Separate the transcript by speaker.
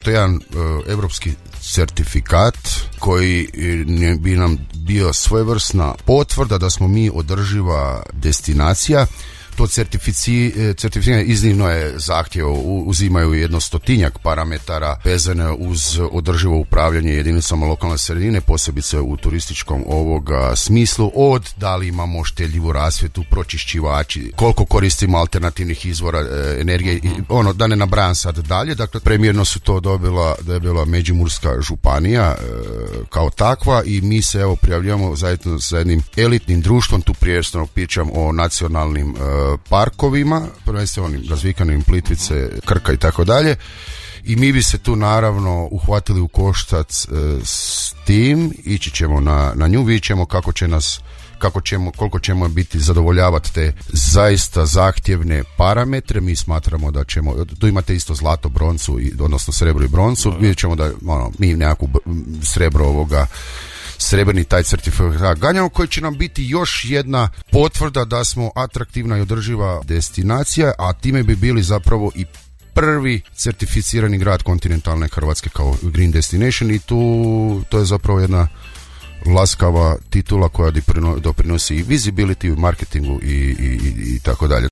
Speaker 1: to jedan europski certifikat koji bi nam bio svojevrsna potvrda da smo mi održiva destinacija. To certificiranje iznimno je zahtjev, uzimaju 100 parametara vezane uz održivo upravljanje jedinicama lokalne sredine, posebice u turističkom ovoga smislu, od da li imamo štedljivu rasvjetu, pročišćivači, koliko koristimo alternativnih izvora energije, da ne nabrajam sad dalje. Dakle, premijerno su to dobila Međimurska županija kao takva i mi se prijavljujemo zajedno sa jednim elitnim društvom, tu prvenstveno pričam o nacionalnim parkovima, prvenstveno onim razvikanim Plitvice, Krka i tako dalje, i mi bi se tu naravno uhvatili u koštac s tim, ići ćemo na nju, vidjet ćemo koliko ćemo biti zadovoljavati te zaista zahtjevne parametre. Mi smatramo da ćemo, tu imate isto zlato, broncu, odnosno srebro i broncu, vidjet ćemo da mi nekakvu srebrni taj certifikat ganjamo, koji će nam biti još jedna potvrda da smo atraktivna i održiva destinacija, a time bi bili zapravo i prvi certificirani grad kontinentalne Hrvatske kao Green Destination, i to je zapravo jedna laskava titula koja doprinosi i visibility, i marketingu i tako dalje.